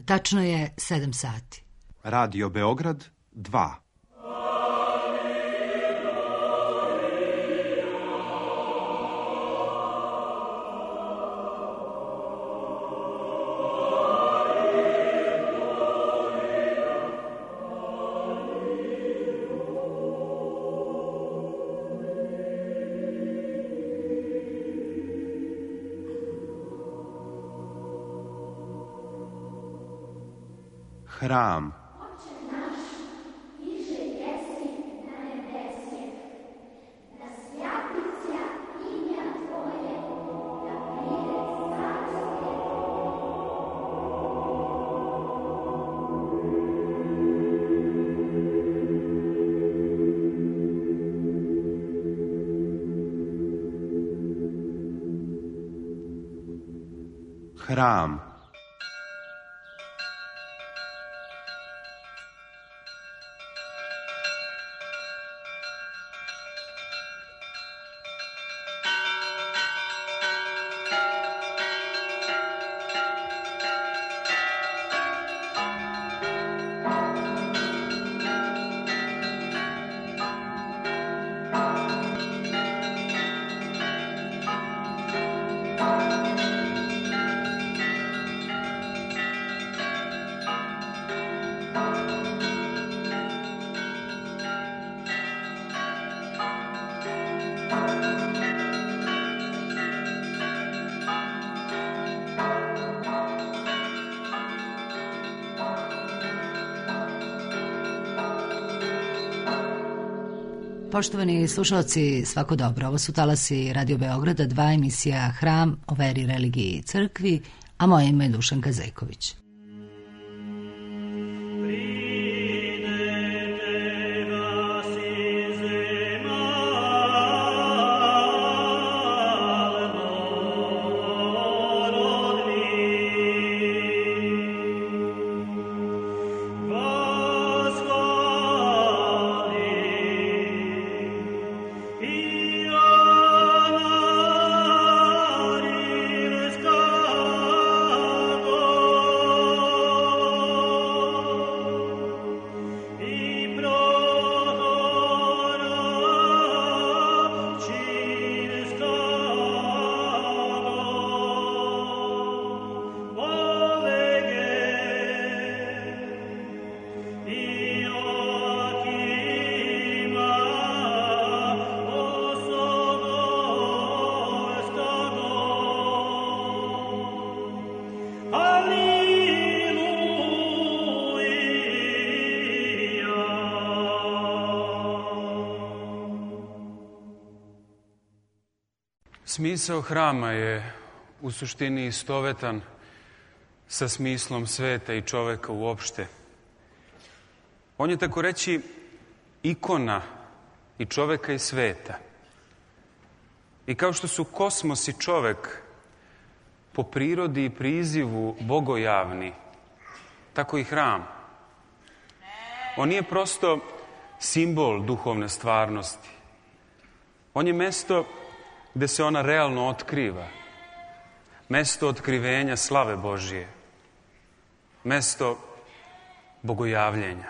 Tačno je 7 sati. Radio Beograd 2. Hram. Hram. Poštovani slušalci, svako dobro. Ovo su talasi Radio Beograda 2, emisija Hram o veri, religiji i crkvi, a moje ime je Dušanka Zejković. Smisao hrama je u suštini istovetan sa smislom sveta i čoveka uopšte. On je tako reći ikona i čoveka i sveta. I kao što su kosmos i čovek po prirodi i prizivu bogojavni, tako i hram. On nije prosto simbol duhovne stvarnosti. On je mesto gde se ona realno otkriva. Mesto otkrivenja slave Božije. Mesto bogojavljenja.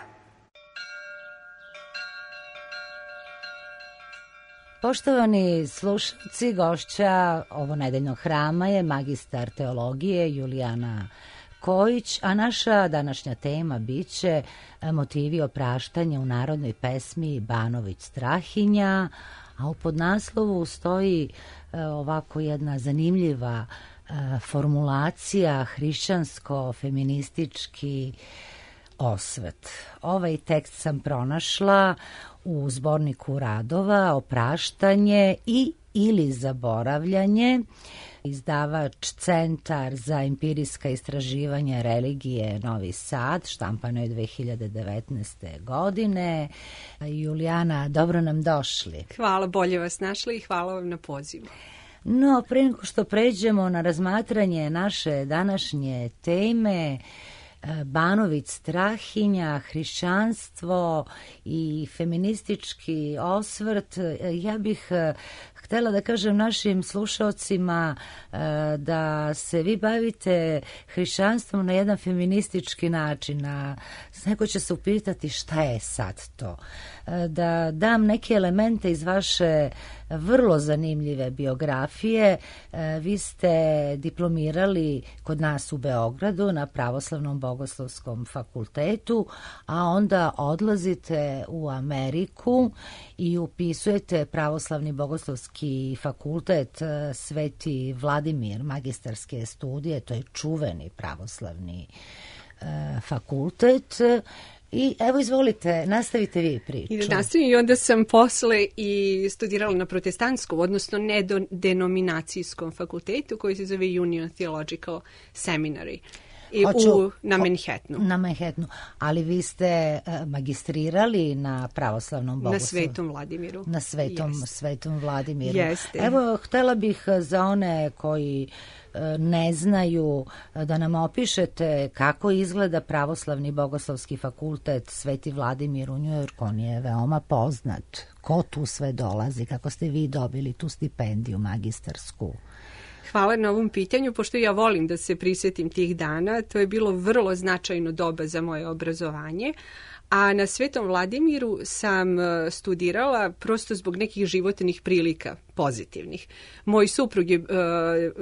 Poštovani slušalci, gošća ovo nedeljnog hrama je magistar teologije Julijana Kojić, a naša današnja tema biće motivi opraštanja u narodnoj pesmi Banović Strahinja, a u podnaslovu stoji ovako jedna zanimljiva formulacija hrišćansko-feministički osvet. Ovaj tekst sam pronašla u zborniku radova Opraštanje i ili zaboravljanje, izdavač Centar za empirijska istraživanja religije Novi Sad, štampano je 2019. godine. Julijana, dobro nam došli. Hvala, bolje vas našli i hvala vam na pozivu. No, pre nego što pređemo na razmatranje naše današnje teme, Banović Strahinja, hrišćanstvo i feministički osvrt, ja bih htjela da kažem našim slušaocima da se vi bavite hrišćanstvom na jedan feministički način, a neko će se upitati šta je sad to. Da dam neke elemente iz vaše vrlo zanimljive biografije. Vi ste diplomirali kod nas u Beogradu na Pravoslavnom bogoslovskom fakultetu, a onda odlazite u Ameriku i upisujete Pravoslavni bogoslovski fakultet Sveti Vladimir, magistarske studije, to je čuveni pravoslavni fakultet. I evo, izvolite, nastavite vi priču. I nastavim, i onda sam posle i studirala na protestantskom, odnosno nedenominacijskom fakultetu koji se zove Union Theological Seminary. Na Manhattanu. Na Manhattanu. Ali vi ste magistrirali na pravoslavnom bogoslovu. Na Svetom Vladimiru. Na Svetom Vladimiru. Jeste. Evo, htjela bih za one koji ne znaju da nam opišete kako izgleda Pravoslavni bogoslovski fakultet Sveti Vladimir u Njujorku. On je veoma poznat. Ko tu sve dolazi? Kako ste vi dobili tu stipendiju magistarsku? Hvala na ovom pitanju, pošto ja volim da se prisjetim tih dana. To je bilo vrlo značajno doba za moje obrazovanje. A na Svetom Vladimiru sam studirala prosto zbog nekih životnih prilika pozitivnih. Moj suprug je,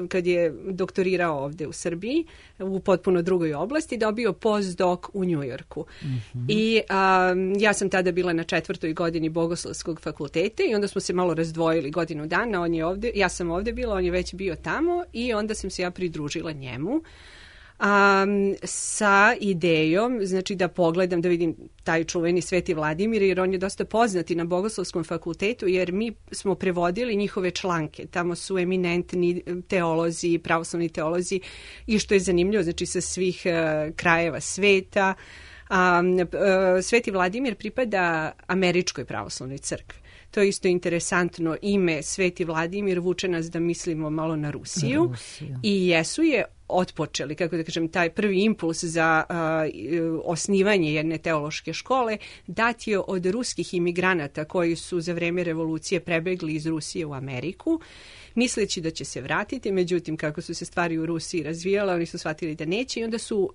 kad je doktorirao ovde u Srbiji, u potpuno drugoj oblasti, dobio postdoc u Njujorku. I ja sam tada bila na 4. godini Bogoslovskog fakulteta i onda smo se malo razdvojili godinu dana. On je ovde, ja sam ovde bila, on je već bio tamo i onda sam se ja pridružila njemu. Sa idejom, znači da pogledam, da vidim taj čuveni Sveti Vladimir, jer on je dosta poznati na Bogoslovskom fakultetu, jer mi smo prevodili njihove članke. Tamo su eminentni teolozi, pravoslavni teolozi i što je zanimljivo, znači sa svih krajeva sveta. Sveti Vladimir pripada Američkoj pravoslavnoj crkvi. To je isto interesantno, ime Sveti Vladimir vuče nas da mislimo malo na Rusiju. I jesu je otpočeli, kako da kažem, taj prvi impuls za osnivanje jedne teološke škole dat je od ruskih imigranata koji su za vreme revolucije prebegli iz Rusije u Ameriku, misleći da će se vratiti, međutim kako su se stvari u Rusiji razvijale, oni su shvatili da neće i onda su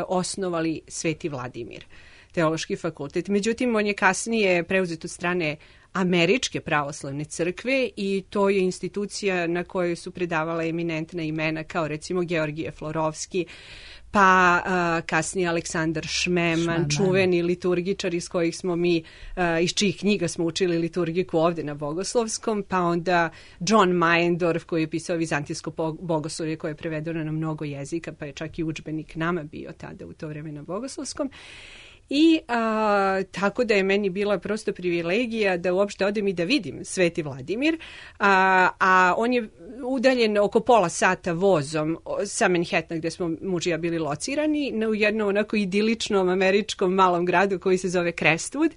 osnovali Sveti Vladimir, teološki fakultet. Međutim, on je kasnije preuzet od strane Američke pravoslavne crkve i to je institucija na kojoj su predavala eminentna imena kao recimo Georgije Florovski, pa kasnije Aleksandar Šmeman, čuveni liturgičar iz kojih smo mi, iz čijih knjiga smo učili liturgiku ovde na Bogoslovskom, pa onda John Meyendorff koji je pisao vizantijsko bogoslovlje koje je prevedeno na mnogo jezika, pa je čak i udžbenik nama bio tada u to vreme na Bogoslovskom. I tako da je meni bila prosto privilegija da uopšte odem i da vidim Sveti Vladimir, a on je udaljen oko pola sata vozom sa Manhattana gde smo muž i ja bili locirani u jednom onako idiličnom američkom malom gradu koji se zove Crestwood.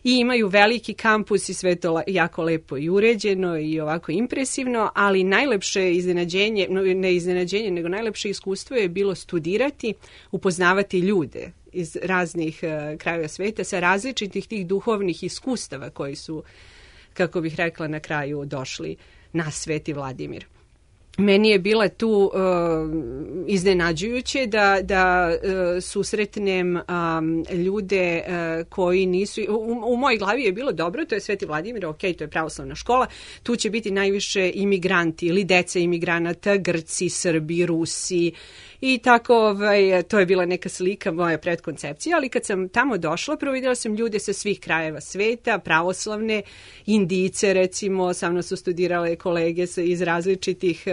I imaju veliki kampus i sve to jako lepo i uređeno i ovako impresivno, ali najlepše iznenađenje, ne iznenađenje, nego najlepše iskustvo je bilo studirati, upoznavati ljude iz raznih krajeva sveta sa različitih tih duhovnih iskustava koji su, kako bih rekla, na kraju došli na Sveti Vladimir. Meni je bila tu iznenađujuće da susretnem ljude koji nisu... U mojoj glavi je bilo dobro, to je Sveti Vladimir, ok, to je pravoslavna škola, tu će biti najviše imigranti ili deca imigranata, Grci, Srbi, Rusi i tako, to je bila neka slika moja predkoncepcija, ali kad sam tamo došla, prvo vidjela sam ljude sa svih krajeva sveta, pravoslavne, Indijce recimo, sa mnom su studirale kolege iz različitih...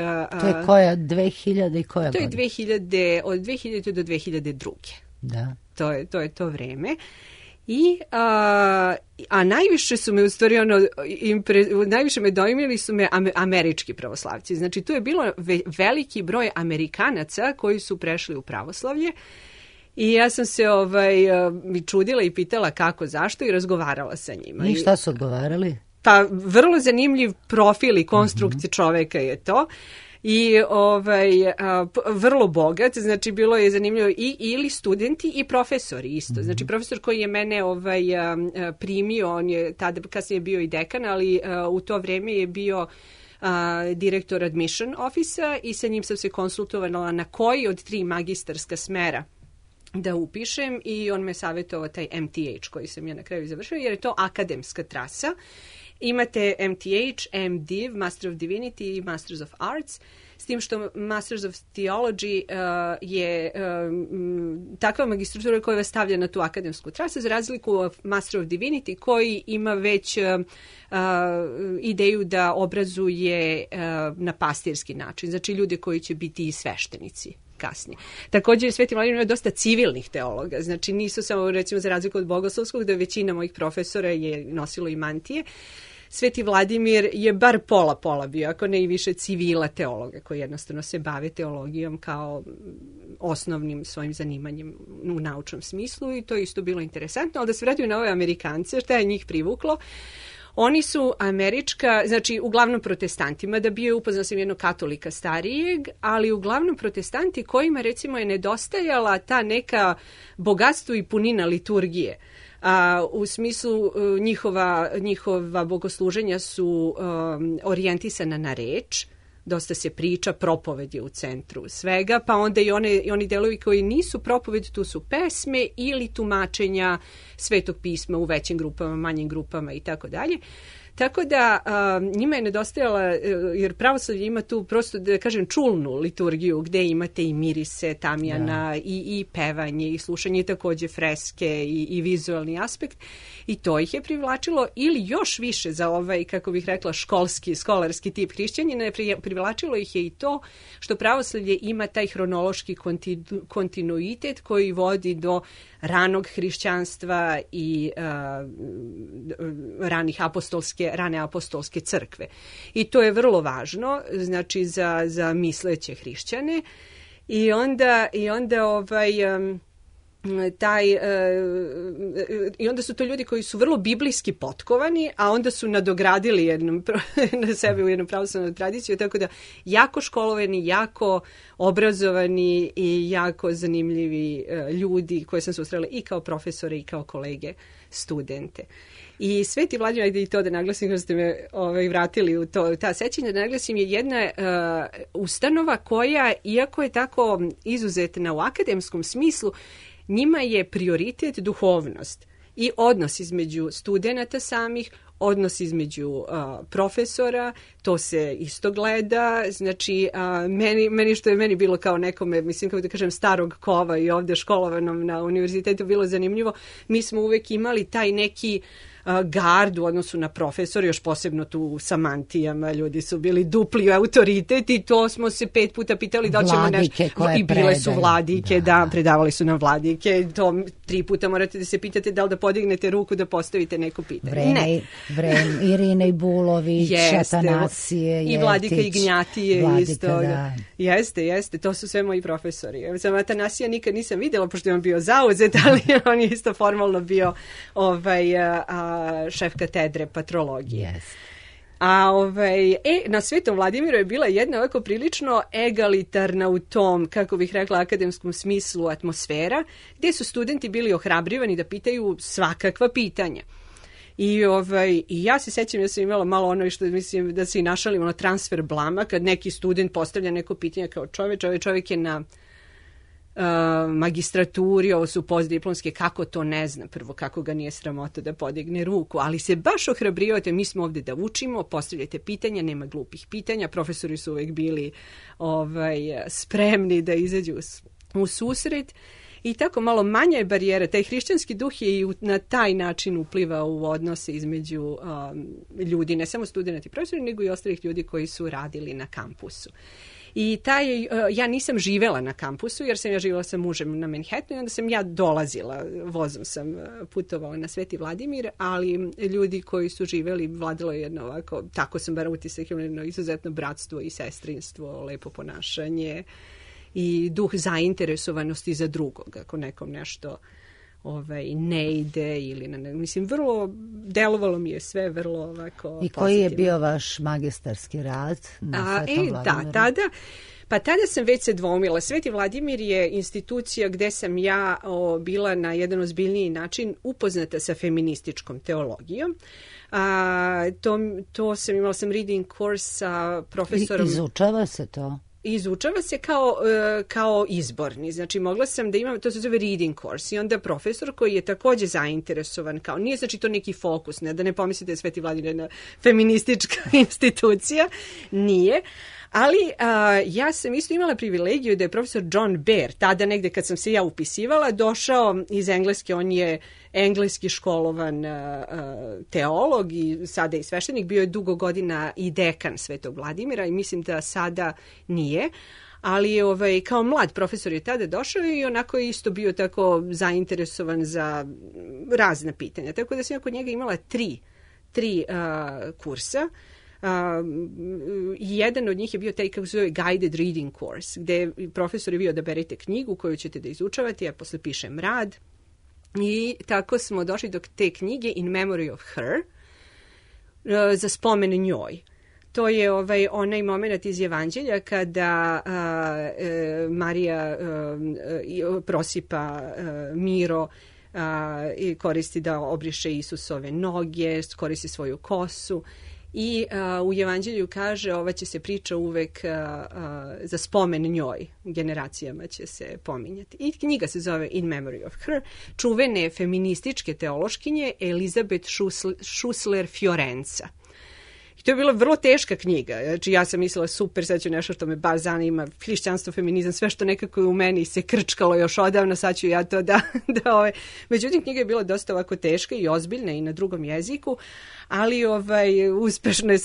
To je koja, 2000 i koja godina? To je od 2000 do 2002. Da. To je to vreme. I, a najviše su me u stvari najviše me dojmili su me američki pravoslavci. Znači tu je bilo veliki broj Amerikanaca koji su prešli u pravoslavlje i ja sam se čudila i pitala kako, zašto i razgovarala sa njima. I šta su odgovarali? Pa vrlo zanimljiv profil i konstrukcija čoveka je to. i vrlo bogat, znači bilo je zanimljivo ili studenti i profesori isto. Znači profesor koji je mene primio, on je tada kasnije bio i dekan, ali u to vreme je bio direktor admission office i sa njim sam se konsultovala na koji od 3 magistarska smera da upišem i on me savjetovao taj MTH koji sam ja na kraju završila jer je to akademska trasa. Imate MTH, MDiv, Master of Divinity i Masters of Arts, s tim što Masters of Theology je takva magistratura koja vas stavlja na tu akademsku trasu, za razliku od Master of Divinity koji ima već ideju da obrazuje na pastirski način, znači ljude koji će biti i sveštenici kasnije. Također Sveti Vladimir ima dosta civilnih teologa, znači nisu samo recimo za razliku od bogoslovskog, da većina mojih profesora je nosilo i mantije. Sveti Vladimir je bar pola bio, ako ne i više civila teologa koji jednostavno se bave teologijom kao osnovnim svojim zanimanjem u naučnom smislu i to je isto bilo interesantno, ali da se vratimo na ove Amerikance, šta je njih privuklo? Oni su američka, znači uglavnom protestantima, da bio je upoznao sam jednog katolika starijeg, ali uglavnom protestanti kojima recimo je nedostajala ta neka bogatstvo i punina liturgije. U smislu njihova bogosluženja su orijentisana na reč, dosta se priča, propoved je u centru svega, pa onda i oni delovi koji nisu propoved, tu su pesme ili tumačenja Svetog pisma u većim grupama, manjim grupama i tako dalje. Tako da njima je nedostajala, jer pravoslavlje ima tu prosto, da kažem, čulnu liturgiju gde imate i mirise, tamjana, i pevanje, i slušanje, takođe freske i vizualni aspekt. I to ih je privlačilo, ili još više za ovaj, kako bih rekla, skolarski tip hrišćanina, privlačilo ih je i to što pravoslavlje ima taj hronološki kontinuitet koji vodi do ranog hrišćanstva i rane apostolske crkve. I to je vrlo važno, znači za misleće hrišćane. I onda su to ljudi koji su vrlo biblijski potkovani, a onda su nadogradili na sebe u jednu pravoslavnu tradiciju, tako da jako školovani, jako obrazovani i jako zanimljivi ljudi koje sam susrela i kao profesore i kao kolege studente. I Sveti Vladimir, ajde i to da naglasim, kada ste me vratili u ta sećanja, da naglasim, je jedna ustanova koja, iako je tako izuzetna u akademskom smislu, njima je prioritet duhovnost i odnos između studenata samih, odnos između profesora, to se isto gleda, znači meni što je meni bilo kao nekome, mislim kako da kažem starog kova i ovdje školovanom na univerzitetu bilo zanimljivo, mi smo uvek imali taj neki gard u odnosu na profesor, još posebno tu sa mantijama, ljudi su bili dupli autoritet i to smo se 5 puta pitali da ćemo nešto, i bile su vladike, da, predavali su nam vladike, to 3 puta morate da se pitate da li da podignete ruku da postavite neko pitanje. Irine i Bulović, Atanasije, i vladika Ignjatije isto. Da. Jeste, to su sve moji profesori. Sam Atanasija nikad nisam vidjela, pošto je on bio zauzet, ali on je isto formalno bio šef katedre patrologije. Yes. Na Svetom Vladimiru je bila jedna ovako prilično egalitarna u tom, kako bih rekla, akademskom smislu atmosfera, gdje su studenti bili ohrabrivani da pitaju svakakva pitanja. I ja se sećam, ja sam imala malo ono što mislim da se i našalim, transfer blama, kad neki student postavlja neko pitanje kao čovjek je na magistraturi, ovo su postdiplomske, kako to ne zna, prvo kako ga nije sramota da podigne ruku, ali se baš ohrabrivate, mi smo ovdje da učimo, postavljate pitanja, nema glupih pitanja, profesori su uvijek bili spremni da izađu u susret i tako malo manja je barijera, taj hrišćanski duh je i na taj način uplivao u odnose između ljudi, ne samo studenti i profesori, nego i ostalih ljudi koji su radili na kampusu. I ja nisam živela na kampusu jer sam ja živjela sa mužem na Manhattanu i onda sam ja dolazila, vozom sam putovala na Sveti Vladimir, ali ljudi koji su živjeli, vladalo je jedno ovako, tako sam bar utisak, jedno izuzetno bratstvo i sestrinstvo, lepo ponašanje i duh zainteresovanosti za drugog, ako nekom nešto ne ide ili mislim, vrlo delovalo mi je sve vrlo ovako pozitivno. I koji je bio vaš magistarski rad na Svetom Vladimiru? Tada sam već se dvoumila. Sveti Vladimir je institucija gde sam ja bila na jedan ozbiljniji način upoznata sa feminističkom teologijom. Imala sam reading course sa profesorom. Izučava se to? Izučava se kao izborni. Znači, mogla sam da imam, to se zove reading course, i onda profesor koji je takođe zainteresovan, nije znači to neki fokus, da ne pomislite da je Sveti Vladimir jedna feministička institucija, nije. Ali ja sam isto imala privilegiju da je profesor John Bear, tada negde kad sam se ja upisivala, došao iz Engleske, on je engleski školovan teolog i sada i sveštenik, bio je dugo godina i dekan Svetog Vladimira i mislim da sada nije. Ali kao mlad profesor je tada došao i onako je isto bio tako zainteresovan za razna pitanja. Tako da sam ja kod njega imala tri kursa. Jedan od njih je bio taj kako se zove guided reading course, gde profesor je bio da berete knjigu koju ćete da izučavate, ja posle pišem rad. I tako smo došli do te knjige In Memory of Her, za spomen njoj. To je onaj moment iz Evanđelja kada Marija prosipa Miro i koristi da obriše Isusove noge, koristi svoju kosu. I u Evanđelju kaže ova će se priča uvek za spomen njoj, generacijama će se pominjati. I knjiga se zove In Memory of Her, čuvene feminističke teološkinje Elizabeth Schussler Fiorenza. I to je bila vrlo teška knjiga. Znači, ja sam mislila super, sad ću nešto što me baš zanima, hrišćanstvo, feminizam, sve što nekako je u meni se krčkalo još odavno, sad ću ja to da. Međutim, knjiga je bila dosta ovako teška i ozbiljna i na drugom jeziku, ali uspešno je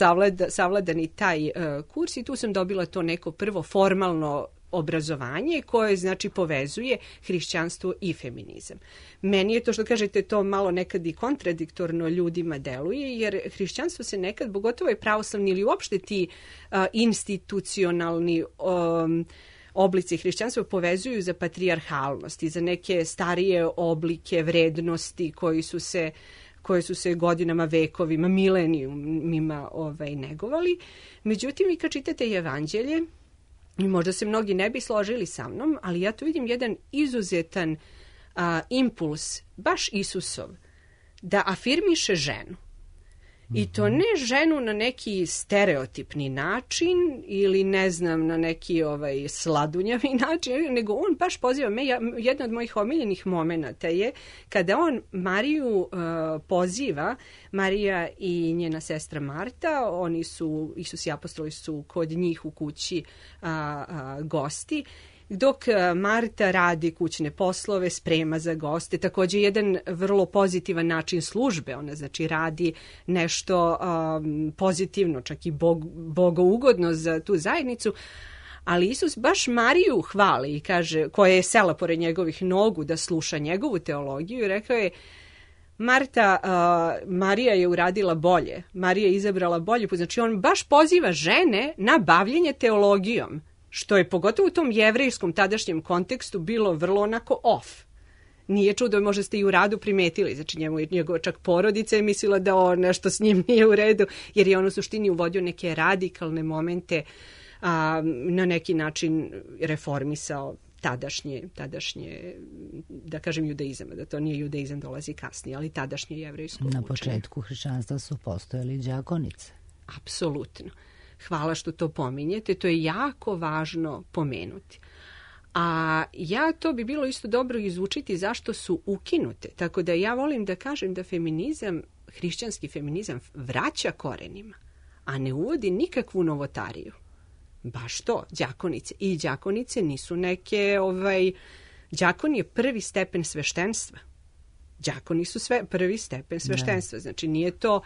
savladan i taj kurs i tu sam dobila to neko prvo formalno obrazovanje koje znači povezuje hrišćanstvo i feminizam. Meni je to što kažete to malo nekad i kontradiktorno ljudima deluje, jer hrišćanstvo se nekad, pogotovo je pravoslavni ili uopšte ti institucionalni oblici hrišćanstva povezuju za patrijarhalnost i za neke starije oblike vrednosti koje su se godinama, vekovima, milenijumima negovali. Međutim, i kad čitate Evanđelje, i možda se mnogi ne bi složili sa mnom, ali ja tu vidim jedan izuzetan impuls, baš Isusov, da afirmiše ženu. I to ne ženu na neki stereotipni način ili ne znam na neki sladunjavi način, nego on baš poziva me. Jedna od mojih omiljenih momenata je kada on Mariju poziva, Marija i njena sestra Marta, Isus i apostoli su kod njih u kući gosti, dok Marta radi kućne poslove, sprema za goste, također jedan vrlo pozitivan način službe, ona znači radi nešto pozitivno, čak i bogougodno za tu zajednicu, ali Isus baš Mariju hvali i kaže, koja je sela pored njegovih nogu da sluša njegovu teologiju i rekao je, Marija je uradila bolje, Marija je izabrala bolje, znači on baš poziva žene na bavljenje teologijom, što je pogotovo u tom jevrejskom tadašnjem kontekstu bilo vrlo onako off. Nije čudo, možda ste i u radu primetili, znači njegova čak porodica je mislila da nešto s njim nije u redu, jer je on u suštini uvodio neke radikalne momente, na neki način reformisao tadašnje, da kažem, judaizam, da to nije judaizam, dolazi kasnije, ali tadašnje jevrejsko učenje. Na početku hrišćanstva su postojali đakonice. Apsolutno. Hvala što to pominjete, to je jako važno pomenuti. A to bi bilo isto dobro izučiti zašto su ukinute. Tako da ja volim da kažem da feminizam, hrišćanski feminizam vraća korenima, a ne uvodi nikakvu novotariju. Baš to, đakonice. I đakonice nisu neke, đakon je prvi stepen sveštenstva. Đakoni su prvi stepen sveštenstva. Znači nije to,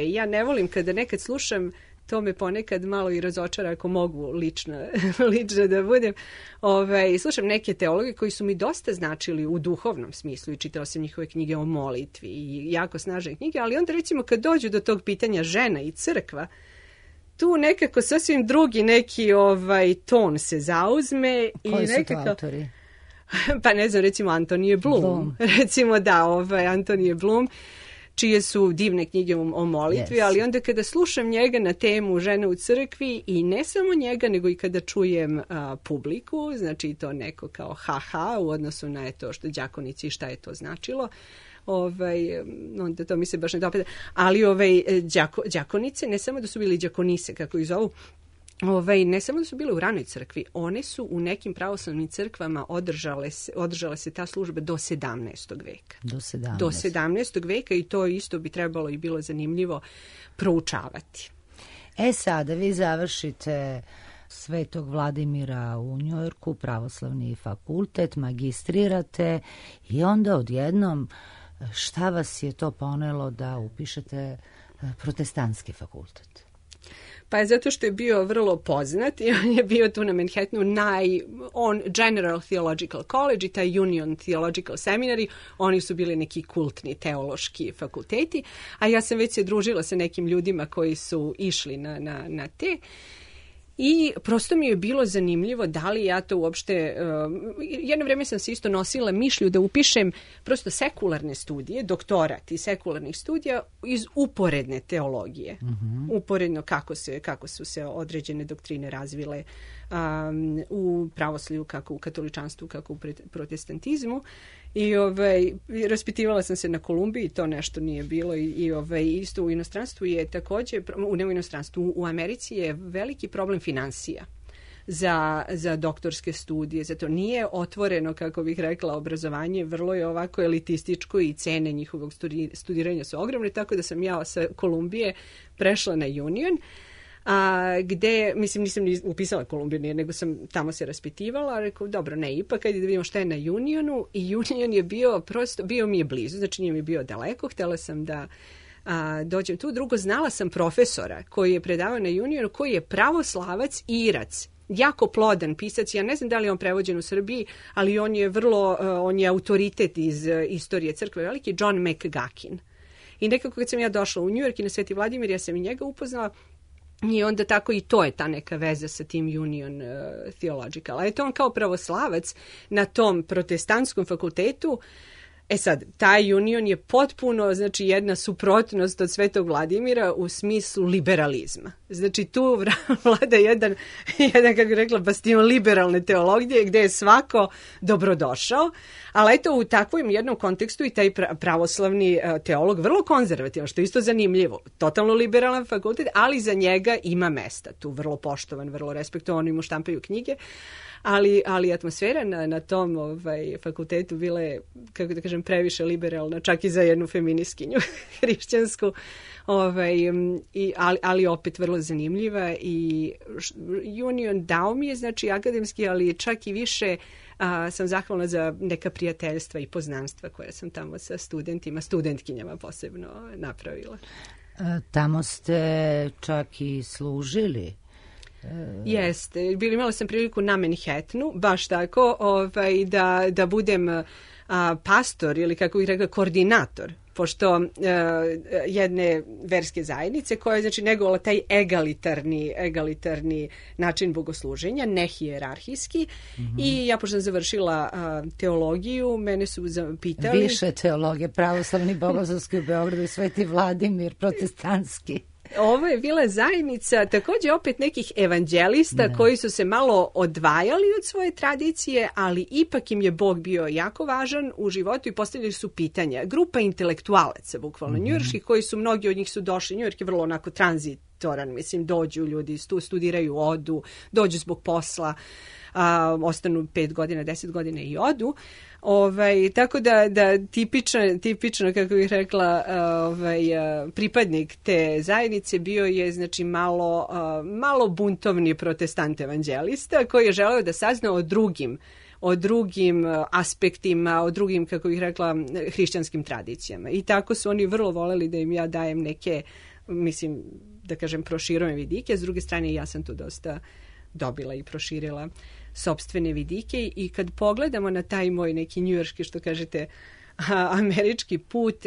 ja ne volim kada nekad slušam, to me ponekad malo i razočara ako mogu lično da budem. Slušam neke teologe koji su mi dosta značili u duhovnom smislu i čitala sam njihove knjige o molitvi i jako snažne knjige, ali onda recimo kad dođu do tog pitanja žena i crkva, tu nekako sasvim drugi neki ton se zauzme. Koji su to autori? Pa ne znam, recimo Antonije Blum. Recimo da, Antonije Blum, čije su divne knjige o molitvi, ali onda kada slušam njega na temu žene u crkvi i ne samo njega, nego i kada čujem publiku, znači to neko kao haha u odnosu na to što đakonici i šta je to značilo, onda to mi se baš ne dopada. Ali đakonice, ne samo da su bili đakonise, kako ih zovu, ne samo da su bile u ranoj crkvi, one su u nekim pravoslavnim crkvama održale se ta služba do 17. veka. Do 17. veka i to isto bi trebalo i bilo zanimljivo proučavati. Sada vi završite Svetog Vladimira u Njujorku, pravoslavni fakultet, magistrirate i onda odjednom šta vas je to ponelo da upišete protestantski fakultet? Pa zato što je bio vrlo poznat i on je bio tu na Manhattanu General Theological College i taj Union Theological Seminary, oni su bili neki kultni teološki fakulteti, a ja sam već se družila sa nekim ljudima koji su išli na te. I prosto mi je bilo zanimljivo da li ja to uopšte, jedno vreme sam se isto nosila mišlju da upišem prosto sekularne studije, doktorat iz sekularnih studija iz uporedne teologije. Uporedno kako su se određene doktrine razvile u pravoslavlju, kako u katoličanstvu, kako u protestantizmu. I raspitivala sam se na Kolumbiji, to nešto nije bilo i isto u inostranstvu je također, ne u inostranstvu, u Americi je veliki problem finansija za doktorske studije, zato nije otvoreno, kako bih rekla, obrazovanje, vrlo je ovako elitističko i cene njihovog studiranja su ogromne, tako da sam ja sa Kolumbije prešla na Union, gde, mislim, nisam ni upisala Kolumbiju, nego sam tamo se raspitivala, rekao, dobro, ne, ipak, ajde da vidimo šta je na Unionu, i Union je bio mi je blizu, znači nije mi bio daleko, htjela sam da dođem tu. Drugo, znala sam profesora koji je predavao na Unionu, koji je pravoslavac i Irac, jako plodan pisac, ja ne znam da li je on prevođen u Srbiji, ali on je autoritet iz istorije crkve veliki, John McGuckin. I nekako kad sam ja došla u New York i na Sveti Vladimir, ja sam i njega upoznala, i onda tako i to je ta neka veza sa tim Union Theological. A eto on kao pravoslavac na tom protestantskom fakultetu, sad, taj Union je potpuno, znači, jedna suprotnost od Svetog Vladimira u smislu liberalizma. Znači, tu vlada jedan kako bih rekla, bastion liberalne teologije gdje je svako dobrodošao, ali eto u takvom jednom kontekstu i taj pravoslavni teolog vrlo konzervativan, što je isto zanimljivo. Totalno liberalan fakultet, ali za njega ima mesta. Tu vrlo poštovan, vrlo respektovan, oni mu štampaju knjige. Ali atmosfera na tom fakultetu bila je, kako da kažem, previše liberalna, čak i za jednu feministkinju hrišćansku, ali opet vrlo zanimljiva. I Union dao mi je, znači, akademski, ali čak i više sam zahvalna za neka prijateljstva i poznanstva koje sam tamo sa studentkinjama posebno napravila. Tamo ste čak i služili. Jeste, imala sam priliku na Manhattanu, baš tako, da budem pastor ili, kako bih rekla, koordinator, pošto jedne verske zajednice koja je, znači, negovala taj egalitarni način bogosluženja, nehijerarhijski, i ja pošto sam završila teologiju, mene su pitali... Više teologije, pravoslavni bogoslovski u Beogradu i Sveti Vladimir, protestantski. Ovo je bila zajednica također opet nekih evanđelista koji su se malo odvajali od svoje tradicije, ali ipak im je Bog bio jako važan u životu i postavljali su pitanja. Grupa intelektualaca, bukvalno njujorških, koji su, mnogi od njih su došli, Njujork je vrlo onako tranzitoran, mislim, dođu ljudi, studiraju, odu, dođu zbog posla, ostanu 5 godina, 10 godina i odu. Tako da tipično, kako bih rekla, pripadnik te zajednice bio je, znači, malo buntovni protestant evanđelista koji je želeo da sazna o drugim aspektima, o drugim, kako bih rekla, hrišćanskim tradicijama. I tako su oni vrlo voleli da im ja dajem neke, mislim, da kažem, proširujem vidike. S druge strane, ja sam tu dosta dobila i proširila sopstvene vidike, i kad pogledamo na taj moj neki njujorški, što kažete, američki put,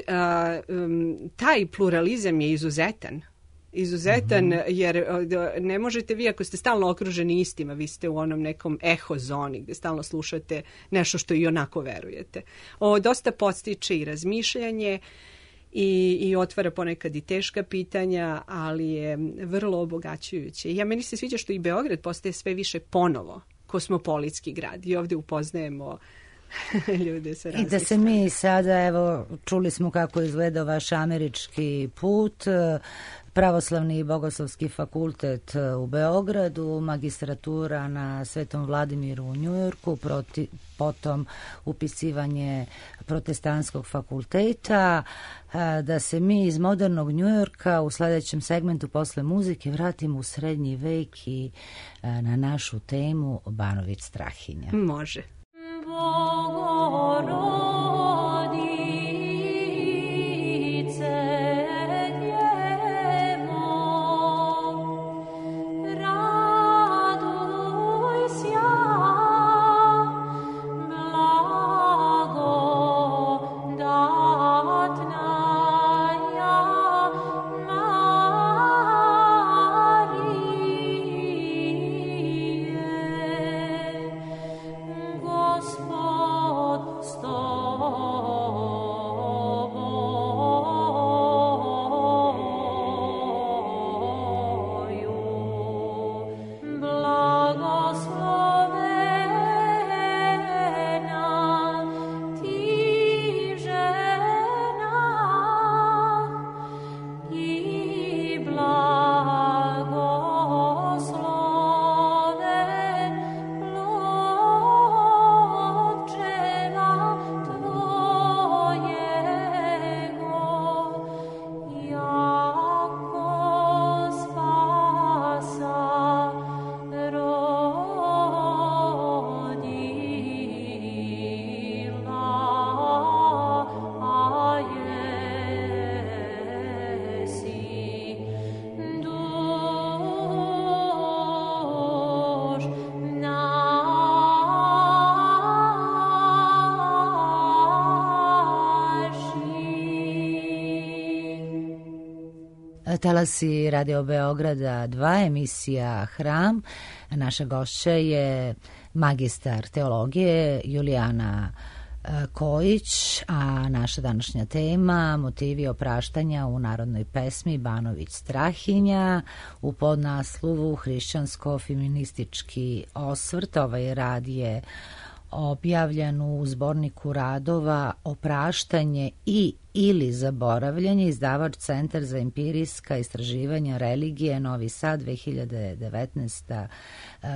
taj pluralizam je izuzetan. izuzetan, jer ne možete vi, ako ste stalno okruženi istima, vi ste u onom nekom eho zoni gde stalno slušate nešto što i onako verujete. Ovo dosta podstiče i razmišljanje i otvara ponekad i teška pitanja, ali je vrlo obogaćujuće. Meni se sviđa što i Beograd postaje sve više ponovo kosmopolitski grad i ovde upoznajemo ljude sa raznih I da se mi sada, evo, čuli smo kako izgleda vaš američki put, Pravoslavni i Bogoslovski fakultet u Beogradu, magistratura na Svetom Vladimiru u Njujorku, potom upisivanje protestantskog fakulteta, da se mi iz modernog Njujorka u sledećem segmentu posle muzike vratimo u srednji vek i na našu temu Banović Strahinja. Može. Talasi Radio Beograda 2, emisija Hram. Naša gošća je magistar teologije Julijana Kojić, a naša današnja tema motivi opraštanja u narodnoj pesmi Banović Strahinja u podnaslovu hrišćansko-feministički osvrt. Ovaj rad je objavljen u zborniku radova Opraštanje i ili zaboravljanje, izdavač Centar za empirijska istraživanja religije, Novi Sad, 2019.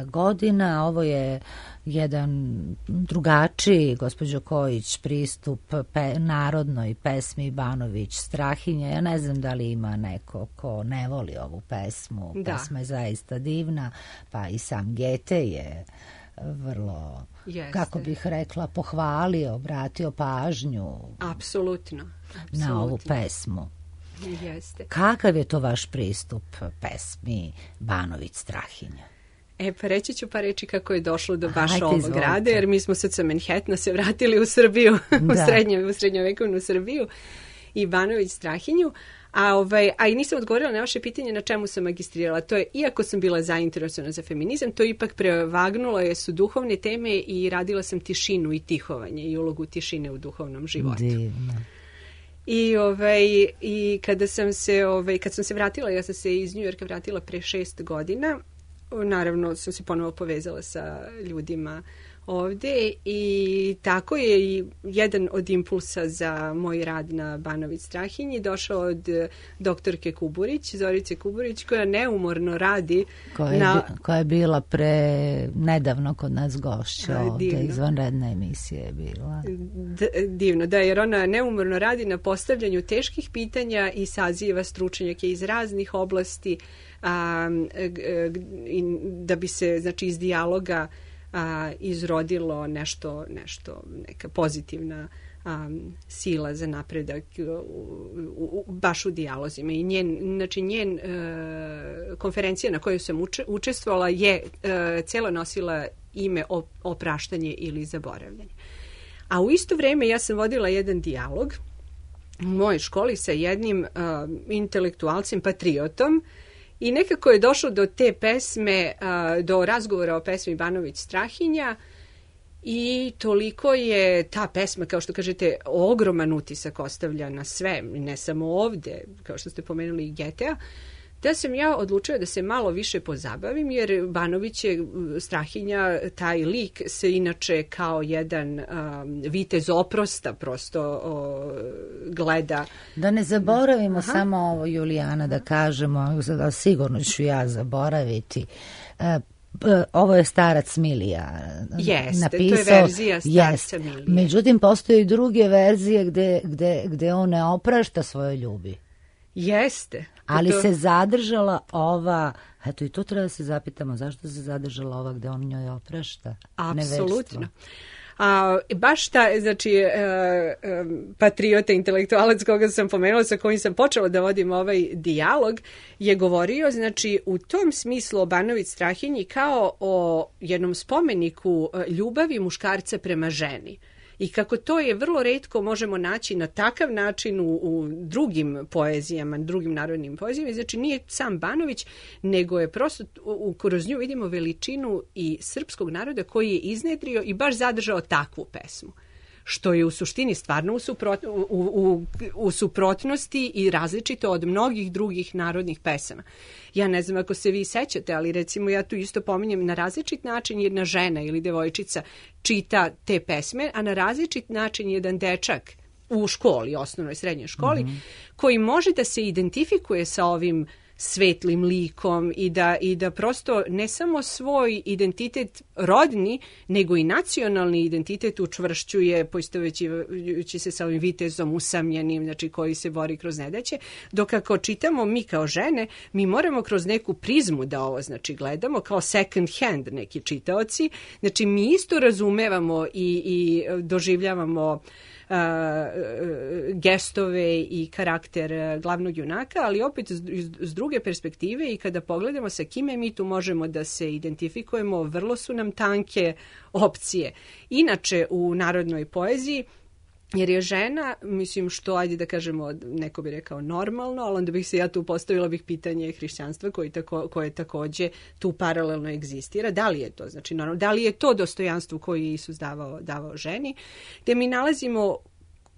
godina. Ovo je jedan drugačiji, gospođo Kojić, pristup narodnoj pesmi Banović Strahinja. Ja ne znam da li ima neko ko ne voli ovu pesmu. Da. Pesma je zaista divna, pa i sam Gete je vrlo, kako bih rekla, pohvalio, obratio pažnju. Apsolutno. Na ovu pesmu. Jeste. Kakav je to vaš pristup pesmi Banović Strahinja? Pa reći ću par reči kako je došlo do baš ovog grada, jer mi smo sad sa Manhattana se vratili u Srbiju, u srednjovekovnu Srbiju i Banović Strahinju. A i nisam odgovorila na vaše pitanje na čemu sam magistrirala. To je, iako sam bila zainteresovana za feminizam, to ipak prevagnulo su duhovne teme i radila sam tišinu i tihovanje i ulogu tišine u duhovnom životu. Divno. I kad sam se vratila, ja sam se iz Njujorka vratila pre 6 godina, naravno sam se ponovo povezala sa ljudima ovde i tako je i jedan od impulsa za moj rad na Banović Strahinji došao od doktorke Kuburić, Zorice Kuburić, koja neumorno radi koja je bila nedavno kod nas gošća ovde, izvanredna emisija je bila. Divno, da, jer ona neumorno radi na postavljanju teških pitanja i saziva stručnjake iz raznih oblasti da bi se, znači, iz dijaloga izrodilo nešto, neka pozitivna sila za napredak baš u dijalozima. I njen konferencija na kojoj sam učestvovala je celo nosila ime Opraštanje ili zaboravljanje. A u isto vreme ja sam vodila jedan dijalog u mojoj školi sa jednim intelektualcem, patriotom, i nekako je došlo do te pesme, do razgovora o pesmi Banović Strahinja, i toliko je ta pesma, kao što kažete, ogroman utisak ostavlja na sve, ne samo ovde, kao što ste pomenuli i Getea, da sam ja odlučila da se malo više pozabavim, jer Banović je Strahinja, taj lik se inače kao jedan vitez oprosta prosto gleda. Da ne zaboravimo samo ovo, Julijana, da kažemo, sigurno ću ja zaboraviti. Ovo je starac Milija napisao. To je verzija starca Milija. Međutim, postoje i druge verzije gde on ne oprašta svoje ljubi. Jeste. Ali se zadržala ova, eto i to treba da se zapitamo, zašto se zadržala ova gde on njoj oprašta? Apsolutno. Baš znači, patriota, intelektualac koga sam pomenula, sa kojim sam počela da vodim ovaj dijalog, je govorio, znači, u tom smislu o Banović Strahinji kao o jednom spomeniku ljubavi muškarca prema ženi. I kako to je vrlo retko možemo naći na takav način u drugim poezijama, drugim narodnim poezijama, znači nije sam Banović, nego je prosto kroz nju vidimo veličinu i srpskog naroda koji je iznedrio i baš zadržao takvu pesmu, što je u suštini stvarno u suprotnosti i različito od mnogih drugih narodnih pesama. Ja ne znam ako se vi sećate, ali recimo ja tu isto pominjem na različit način jedna žena ili devojčica čita te pesme, a na različit način jedan dečak u školi, osnovnoj, srednjoj školi, koji može da se identifikuje sa ovim svetlim likom i da prosto ne samo svoj identitet rodni, nego i nacionalni identitet učvršćuje, poistovećujući se sa ovim vitezom usamljenim, znači koji se bori kroz nedaće, dok ako čitamo mi kao žene, mi moramo kroz neku prizmu da ovo znači gledamo, kao second hand neki čitaoci, znači mi isto razumevamo i doživljavamo gestove i karakter glavnog junaka, ali opet s druge perspektive i kada pogledamo sa kime mi tu možemo da se identifikujemo, vrlo su nam tanke opcije. Inače u narodnoj poeziji, jer je žena, mislim što, ajde da kažemo, neko bi rekao normalno, ali onda bih se ja tu postavila pitanje hrišćanstva koje takođe tu paralelno egzistira. Da li je to, znači, normalno, da li je to dostojanstvo koje je Isus davao ženi, gde mi nalazimo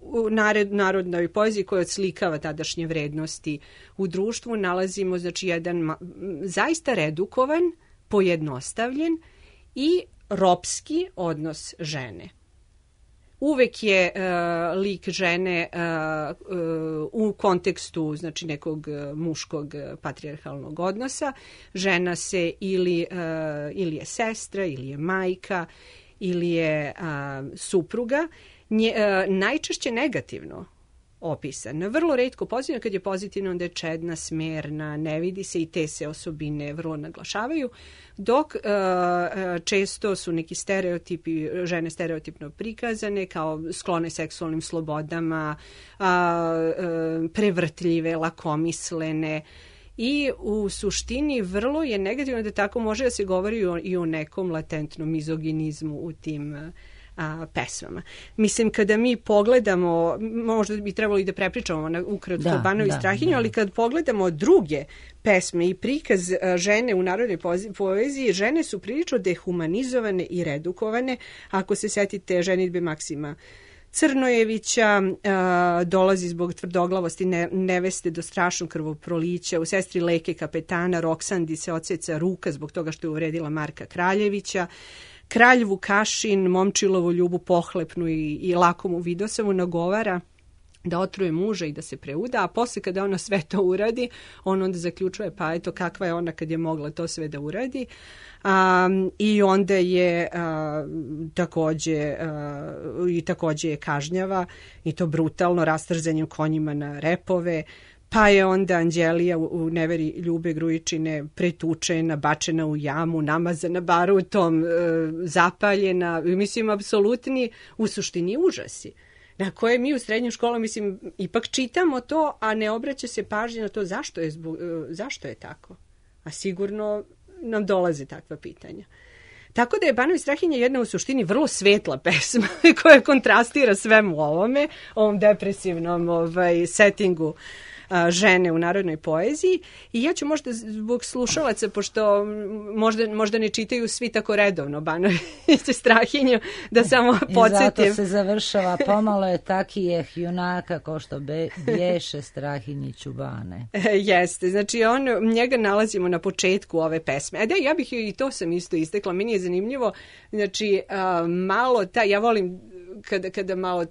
u narodnoj poeziji koja odslikava tadašnje vrednosti u društvu, nalazimo znači jedan zaista redukovan, pojednostavljen i ropski odnos žene. Uvek je lik žene u kontekstu znači nekog muškog patrijarhalnog odnosa. Žena se ili je sestra, ili je majka, ili je supruga. Najčešće negativno opisan. Vrlo retko pozitivno, kad je pozitivno onda je čedna, smerna, ne vidi se i te se osobine vrlo naglašavaju, dok često su neki stereotipi, žene stereotipno prikazane kao sklone seksualnim slobodama, prevrtljive, lakomislene, i u suštini vrlo je negativno da tako može da se govori i o nekom latentnom mizoginizmu u tim pesmama. Mislim, kada mi pogledamo, možda bi trebalo i da prepričamo ukratko Banović Strahinju, ali kad pogledamo druge pesme i prikaz žene u narodnoj poeziji, žene su prilično dehumanizovane i redukovane. Ako se setite ženidbe Maksima Crnojevića, dolazi zbog tvrdoglavosti neveste do strašnog krvoprolića, u Sestri Leke kapetana Roksandi se odseca ruka zbog toga što je uvredila Marka Kraljevića, Kralj Vukašin momčilovu ljubu pohlepnu i lakomu Vidosavu nagovara da otruje muža i da se preuda, a posle kada ona sve to uradi, on onda zaključuje pa eto kakva je ona kad je mogla to sve da uradi. I onda je takođe je kažnjava i to brutalno rastrzanjem konjima na repove. Pa je onda Anđelija u Neveri Ljube Grujičine pretučena, bačena u jamu, namazana barutom, zapaljena. Mislim, apsolutni u suštini užasi. Na koje mi u srednjoj školi, mislim, ipak čitamo to, a ne obraća se pažnje na to zašto je tako. A sigurno nam dolaze takva pitanja. Tako da je Banović Strahinja jedna u suštini vrlo svetla pesma koja kontrastira svemu ovome, ovom depresivnom settingu žene u narodnoj poeziji. I ja ću možda zbog slušalaca, pošto možda ne čitaju svi tako redovno Banović Strahinju, da samo podsjetim. I zato se završava pomalo je takijeh junaka ko što bješe Strahinji čubane. Jeste, znači njega nalazimo na početku ove pesme. Da, ja bih i to sam isto istekla, meni je zanimljivo, znači malo ja volim kada malo,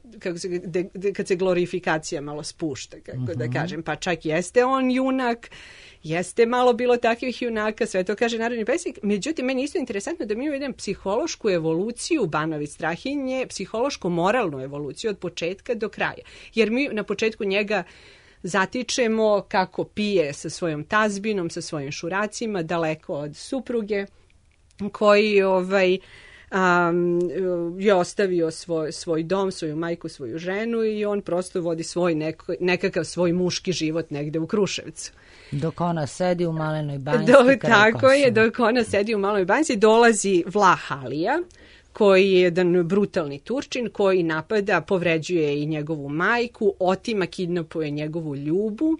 kad se glorifikacija malo spušta, kako da kažem, pa čak jeste on junak, jeste malo bilo takvih junaka, sve to kaže narodni pesnik, međutim, meni je isto interesantno da mi imamo jedan psihološku evoluciju Banović Strahinje, psihološko-moralnu evoluciju od početka do kraja, jer mi na početku njega zatičemo kako pije sa svojom tazbinom, sa svojim šuracima, daleko od supruge, koji je ostavio svoj dom, svoju majku, svoju ženu i on prosto vodi svoj nekakav svoj muški život negde u Kruševcu. Dok ona sedi u Malenoj banjci. Tako je, dok ona sedi u Malenoj banjci, dolazi Vlah Alija, koji je jedan brutalni Turčin, koji napada, povređuje i njegovu majku, otima, kidnapuje njegovu ljubu,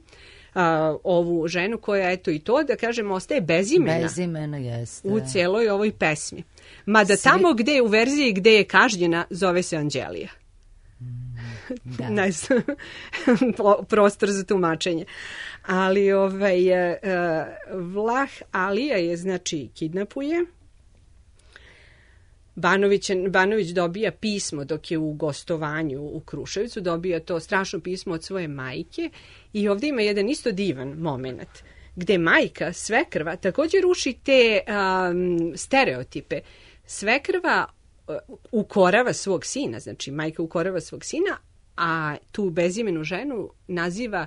ovu ženu koja, eto i to, da kažemo, ostaje bezimena. Bezimena, jeste. U cijeloj ovoj pesmi. Mada tamo gde je u verziji gde je kažnjena, zove se Anđelija. Da. Prostor za tumačenje. Ali Vlah Alija je, znači, kidnapuje. Banović dobija pismo dok je u gostovanju u Kruševcu, dobija to strašno pismo od svoje majke i ovdje ima jedan isto divan moment gde majka, svekrva, također ruši te stereotipe. Svekrva ukorava svog sina, znači majka ukorava svog sina, a tu bezimenu ženu naziva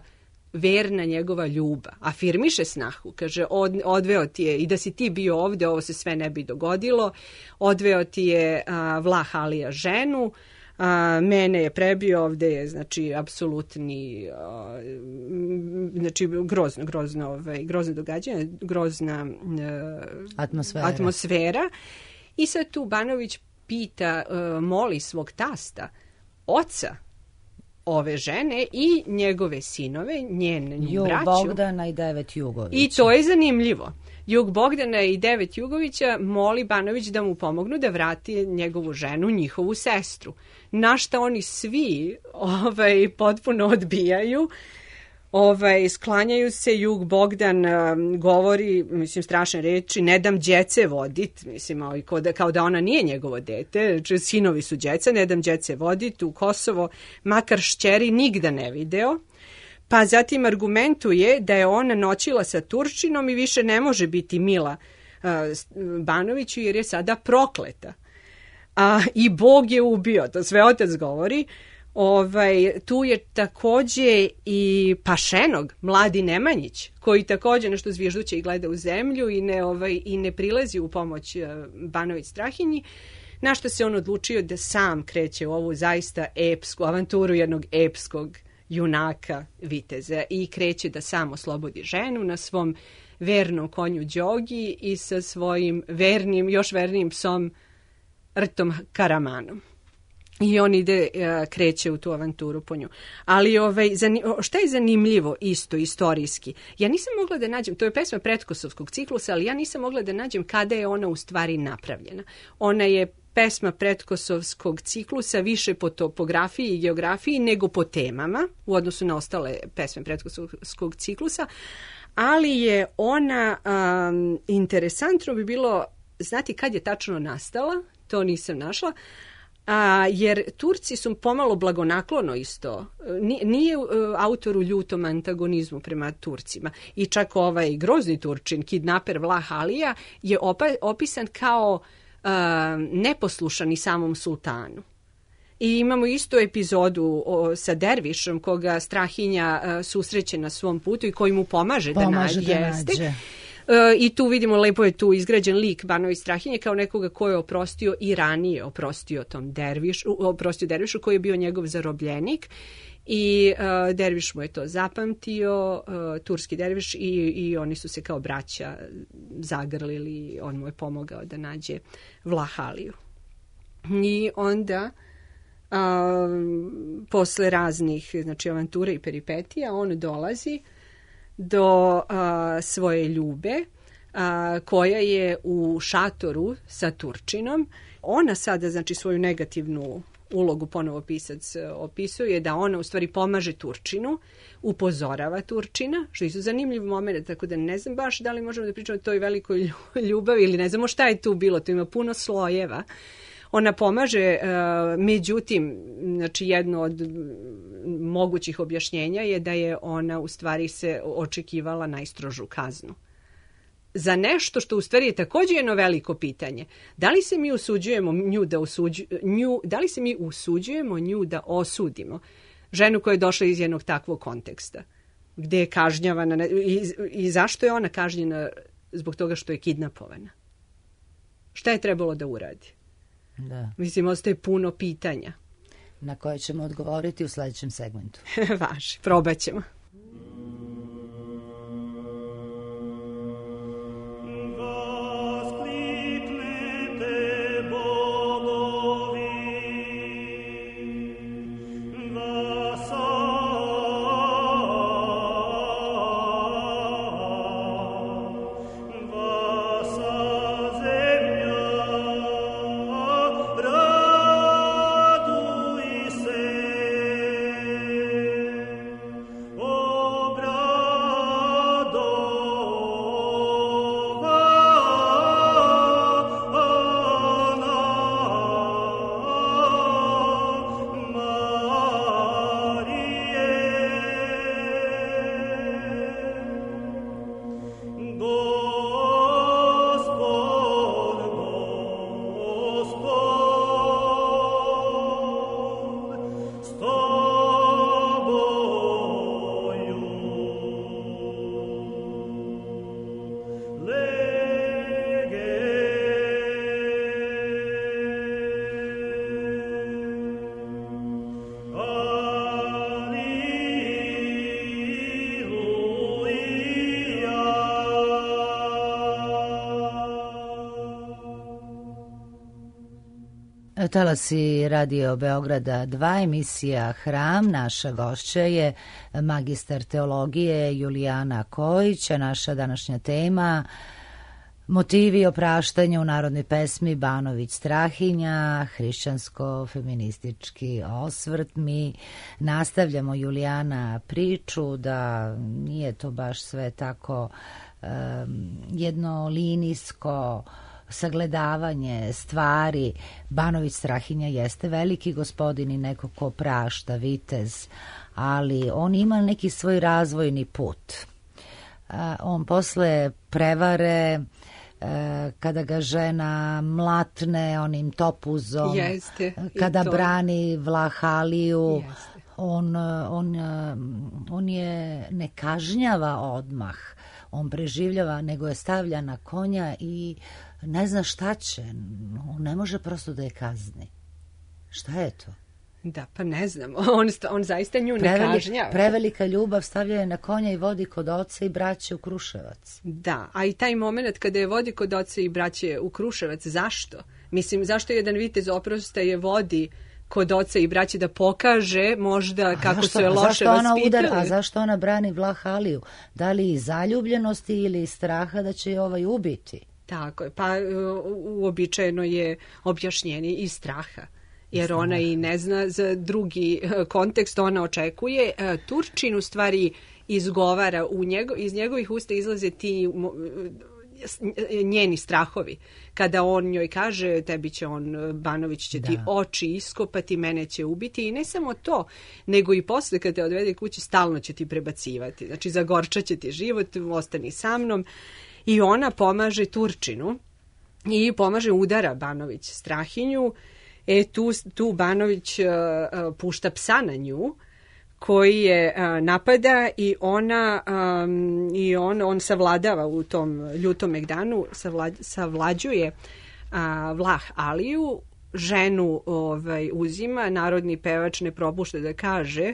verna njegova ljubav. Afirmiše snahu, kaže, odveo ti je, i da si ti bio ovde, ovo se sve ne bi dogodilo, odveo ti je Vlah Alija ženu, mene je prebio, ovde je, znači, apsolutni, znači, grozno događanje, grozna atmosfera. I sad tu Banović pita, moli svog tasta, oca ove žene i njegove sinove, njenu braću. Bogdana i 9 Jugovića. I to je zanimljivo. Jug Bogdana i 9 Jugovića moli Banović da mu pomognu da vrati njegovu ženu, njihovu sestru. Na šta oni svi potpuno odbijaju. Sklanjaju se, Jug Bogdan govori, mislim, strašne reči, ne dam đece vodit, mislim, kao da ona nije njegovo dete, sinovi su đeca, ne dam đece vodit u Kosovo, makar šćeri nigda ne video. Pa zatim argumentuje da je ona noćila sa Turčinom i više ne može biti mila Banoviću jer je sada prokleta. I Bog je ubio, to sve otac govori. Tu je takođe i Pašenog, mladi Nemanjić, koji takođe nešto zvižduće i gleda u zemlju i ne prilazi u pomoć Banović Strahinji, na što se on odlučio da sam kreće u ovu zaista epsku avanturu jednog epskog junaka viteza i kreće da sam oslobodi ženu na svom vernom konju Đogi i sa svojim još vernijim psom Rtom Karamanom. I on kreće u tu avanturu po nju. Ali šta je zanimljivo isto istorijski? Ja nisam mogla da nađem, to je pesma pretkosovskog ciklusa, ali ja nisam mogla da nađem kada je ona u stvari napravljena. Ona je pesma pretkosovskog ciklusa više po topografiji i geografiji nego po temama u odnosu na ostale pesme pretkosovskog ciklusa, ali je ona interesantno bi bilo znati kad je tačno nastala, to nisam našla, jer Turci su pomalo blagonaklono isto. Nije autor u ljutom antagonizmu prema Turcima. I čak ovaj grozni Turčin, kidnaper Vlah Alija, je opisan kao neposlušan i samom sultanu. I imamo istu epizodu sa dervišom koga Strahinja susreće na svom putu i koji mu pomaže da nađe. I tu vidimo, lepo je tu izgrađen lik Banović Strahinje kao nekoga ko je oprostio i ranije oprostio dervišu koji je bio njegov zarobljenik I derviš mu je to zapamtio, turski derviš, i oni su se kao braća zagrlili, on mu je pomogao da nađe Vlah Aliju. I onda posle raznih, znači, avantura i peripetija, on dolazi do svoje ljube, koja je u šatoru sa Turčinom. Ona sada, znači, svoju negativnu ulogu, ponovo pisac opisuje, da ona u stvari pomaže Turčinu, upozorava Turčina, što je isto zanimljiv moment, tako da ne znam baš da li možemo da pričamo o toj velikoj ljubavi, ili ne znamo šta je tu bilo, to ima puno slojeva. Ona pomaže, međutim, znači, jedno od mogućih objašnjenja je da je ona u stvari se očekivala najstrožu kaznu za nešto što u stvari je također jedno veliko pitanje. Da li se mi usuđujemo nju da osudimo? Ženu koja je došla iz jednog takvog konteksta, gde je kažnjavana, i zašto je ona kažnjena? Zbog toga što je kidnapovana. Šta je trebalo da uradi? Da. Mislim, ostaje puno pitanja. Na koje ćemo odgovoriti u sljedećem segmentu. Važi, probat ćemo. Talasi Radio Beograda 2, emisija Hram. Naša gošća je magistar teologije Julijana Kojić, a naša današnja tema motivi opraštanja u narodnoj pesmi Banović Strahinja, hrišćansko-feministički osvrt. Mi nastavljamo, Julijana, priču da nije to baš sve tako jednolinijsko sagledavanje stvari. Banović Strahinja jeste veliki gospodin i neko ko prašta, vitez, ali on ima neki svoj razvojni put. On posle prevare, kada ga žena mlatne onim topuzom, kada brani Vlah Aliju, on je ne kažnjava odmah, on preživljava, nego je stavlja na konja i ne zna šta će, on ne može prosto da je kazni. Šta je to? Da, pa ne znam, on zaista nju ne kažnjava. Prevelika ljubav, stavlja je na konja i vodi kod oca i braće u Kruševac. Da, a i taj moment kada je vodi kod oca i braće u Kruševac, zašto? Mislim, zašto jedan vitez oprosta je vodi kod oca i braće da pokaže možda kako su je loše vaspitali? A zašto ona brani Vlah Aliju? Da li iz zaljubljenosti ili iz straha da će je ubiti? Tako je, pa uobičajeno je objašnjenje iz straha. Jer ona i ne zna za drugi kontekst, ona očekuje. Turčin u stvari izgovara, iz njegovih usta izlaze ti njeni strahovi. Kada on njoj kaže, tebi će Banović će ti oči iskopati, mene će ubiti, i ne samo to, nego i posle kad te odvede kući stalno će ti prebacivati. Znači, zagorčat će ti život, ostani sa mnom. I ona pomaže Turčinu i pomaže, udara Banović Strahinju. Tu Banović pušta psa na nju, koji je napada, i on savladava u tom ljutom megdanu, savlađuje Vlah Aliju, ženu uzima, narodni pevač ne propušta da kaže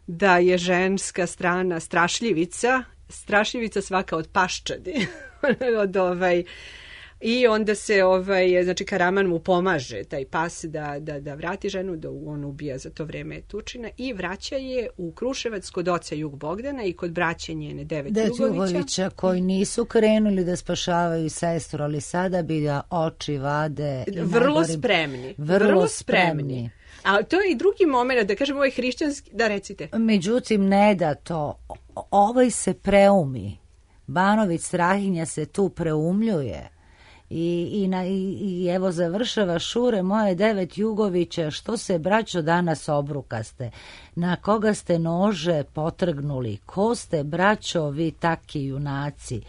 da je ženska strana strašljivica svaka od paščadi. I onda se znači Karaman mu pomaže taj pas da vrati ženu, da on ubija za to vreme Tučina i vraća je u Kruševac kod oca Jug Bogdana i kod braće njene Devet Jugovića koji nisu krenuli da spašavaju sestru, ali sada bi da oči vade. Vrlo spremni. A to je i drugi moment, da kažem, ovaj hrišćanski, da recite. Međutim, ne da to, ovaj se preumi. Banović Strahinja se tu preumljuje. I evo završava Šure moje Devet Jugovića, što se braćo danas obrukaste, na koga ste nože potrgnuli, ko ste braćo vi taki junaci,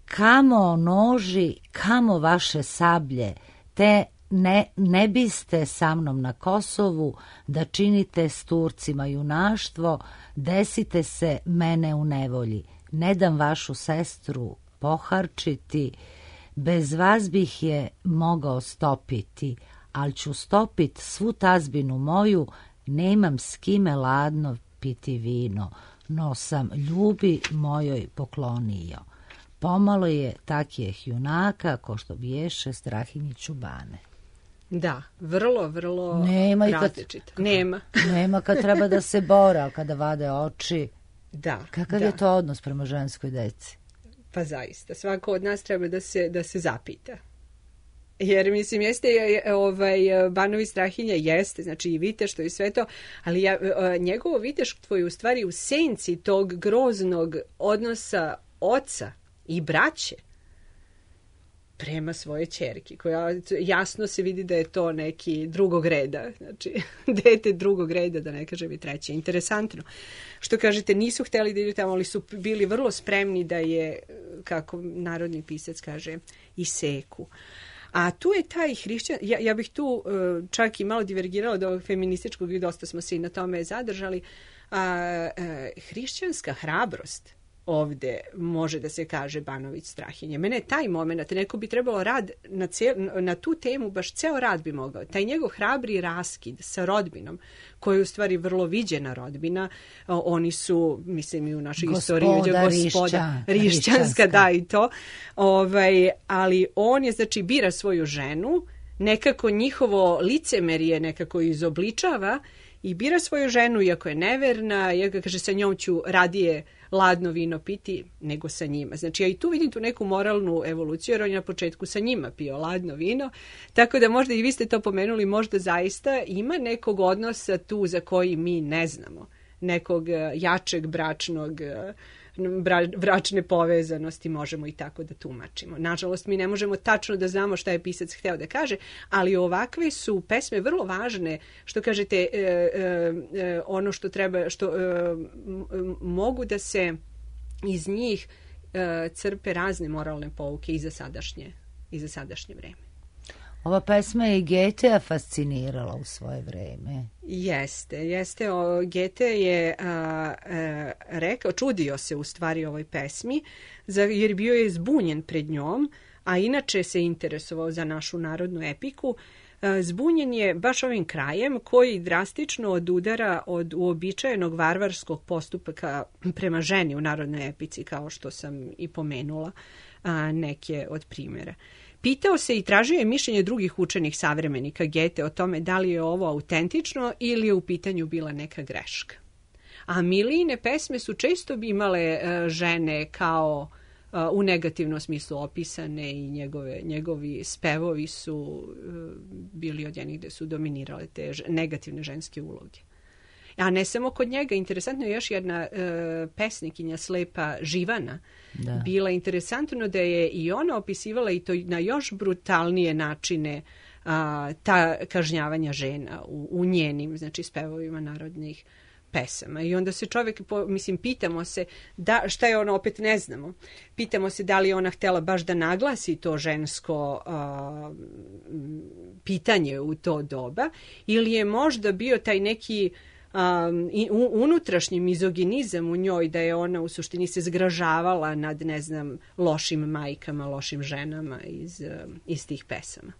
kamo noži, kamo vaše sablje, te ne biste sa mnom na Kosovu da činite s Turcima junaštvo, desite se mene u nevolji, ne dam vašu sestru poharčiti, bez vas bih je mogao stopiti, ali ću stopit svu tazbinu moju, nemam s kime ladno piti vino, no sam ljubi mojoj poklonio. Pomalo je takijeh junaka, ko što biješe Strahinji Čubane. Da, vrlo različito. Nema kad treba da se bora, kada vade oči. Da. Kakav je to odnos prema ženskoj deci? Pa zaista, svako od nas treba da se zapita. Jer, mislim, jeste, Banović Strahinja jeste, znači i viteštvo i sve to, ali njegovo viteštvo je u stvari u senci tog groznog odnosa oca i braće prema svoje ćerki, koja jasno se vidi da je to neki drugog reda, znači dete drugog reda, da ne kažem i treće. Interesantno. Što kažete, nisu hteli da idu tamo, ali su bili vrlo spremni da je, kako narodni pisac kaže, iseku. A tu je taj hrišćan, ja bih tu čak i malo divergirala od ovog feminističkog i dosta smo se i na tome zadržali, hrišćanska hrabrost ovde može da se kaže Banović Strahinja. Mene je taj moment, neko bi trebalo rad na tu temu, baš ceo rad bi mogao. Taj njegov hrabri raskid sa rodbinom, koja je u stvari vrlo viđena rodbina, oni su, mislim, i u našoj istoriji gospoda hrišćanska, da i to, ali on je, znači, bira svoju ženu, nekako njihovo licemerje nekako izobličava i bira svoju ženu, iako je neverna, iako kaže sa njom ću radije ladno vino piti nego sa njima. Znači, ja i tu vidim tu neku moralnu evoluciju, jer on je na početku sa njima pio ladno vino, tako da možda i vi ste to pomenuli, možda zaista ima nekog odnosa tu za koji mi ne znamo, nekog jačeg bračne povezanosti, možemo i tako da tumačimo. Nažalost, mi ne možemo tačno da znamo šta je pisac hteo da kaže, ali ovakve su pesme vrlo važne, što kažete, ono što treba, što mogu da se iz njih crpe razne moralne pouke i za sadašnje vreme. Ova pesma je i Getea fascinirala u svoje vreme. Jeste. Gete je rekao, čudio se u stvari ovoj pesmi, jer bio je zbunjen pred njom, a inače se interesovao za našu narodnu epiku. Zbunjen je baš ovim krajem koji drastično odudara od uobičajenog varvarskog postupka prema ženi u narodnoj epici, kao što sam i pomenula neke od primjera. Pitao se i tražio je mišljenje drugih učenih savremenika Gete o tome da li je ovo autentično ili je u pitanju bila neka greška. A Milijine pesme su često imale žene kao u negativnom smislu opisane i njegovi spevovi su bili od jednih gde su dominirale te negativne ženske uloge. A ne samo kod njega, interesantno je još jedna pesnikinja slepa Živana. Da. Bila interesantno da je i ona opisivala i to na još brutalnije načine ta kažnjavanja žena u njenim, znači, spevovima narodnih pesama. I onda se čovjek, pitamo se šta je ona, opet ne znamo. Pitamo se da li je ona htjela baš da naglasi to žensko pitanje u to doba ili je možda bio taj neki unutrašnji mizoginizam u njoj, da je ona u suštini se zgražavala nad, ne znam, lošim majkama, lošim ženama iz tih pesama.